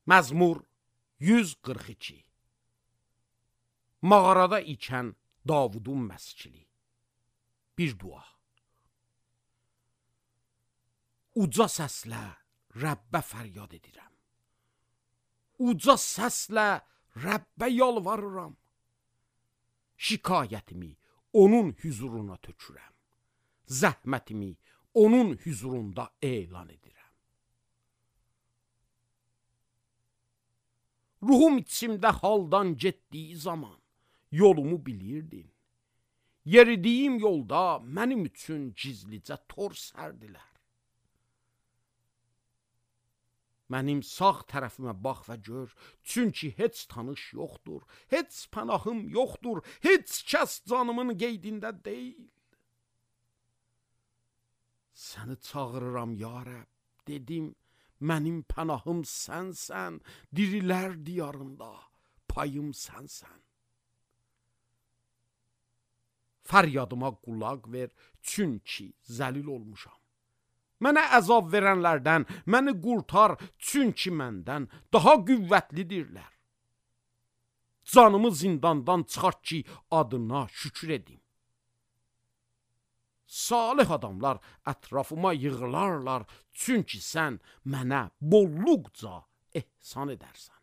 Məzmur 142. Mağarada ikən Davudun məskili. Bir dua. Uca səslə Rəbbə fəryad edirəm. Uca səslə Rəbbə yalvarıram. Şikayətimi onun huzuruna tökürəm. Zəhmətimi onun huzurunda elan edirəm. Ruhum içimdə haldan getdiyi zaman yolumu bilirdin. Yeridiyim yolda mənim üçün gizlicə tor sərdilər. Mənim sağ tərəfimə bax və gör, çünki heç tanış yoxdur, heç pənahım yoxdur, heç kəs canımın qeydində deyil. Səni çağırıram ya Rəbb, dedim, mənim pənahım sənsən, dirilər diyarında payım sənsən. Fəryadıma qulaq ver, çünki zəlil olmuşam. Mənə əzab verənlərdən, məni qurtar, çünki məndən daha qüvvətlidirlər. Canımı zindandan çıxart ki, adına şükür edim. Salih adamlar ətrafıma yığılarlar, çünki sən mənə bolluqca ehsan edərsən.